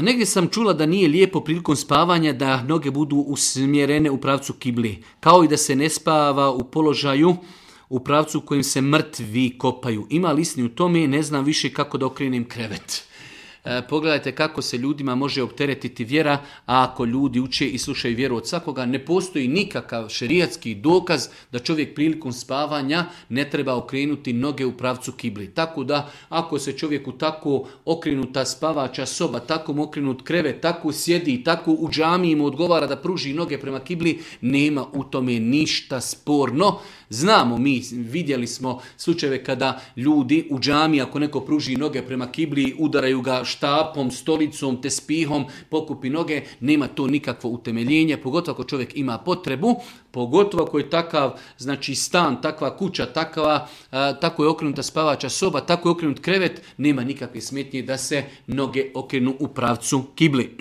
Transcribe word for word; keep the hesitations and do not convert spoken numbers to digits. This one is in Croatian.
Negdje sam čula da nije lijepo prilikom spavanja da noge budu usmjerene u pravcu kibli, kao i da se ne spava u položaju u pravcu u kojem se mrtvi kopaju. Ima li istine u tome? Ne znam više kako da okrenem krevet. E, pogledajte kako se ljudima može opteretiti vjera, a ako ljudi uče i slušaju vjeru od svakoga, ne postoji nikakav šerijatski dokaz da čovjek prilikom spavanja ne treba okrenuti noge u pravcu kibli. Tako da, ako se čovjeku tako okrenuta spavača soba, tako mu okrenut krevet, tako sjedi, tako u džamiji mu odgovara da pruži noge prema kibli, nema u tome ništa sporno. Znamo mi, vidjeli smo slučajeve kada ljudi u džamiji, ako neko pruži noge prema kibli, udaraju ga štapom, stolicom, tespihom, pokupi noge, nema to nikakvo utemeljenje, pogotovo ako čovjek ima potrebu, pogotovo ako je takav, znači stan, takva kuća, takva, a, tako je okrenuta spavača soba, tako je okrenut krevet, nema nikakve smetnje da se noge okrenu u pravcu kibli.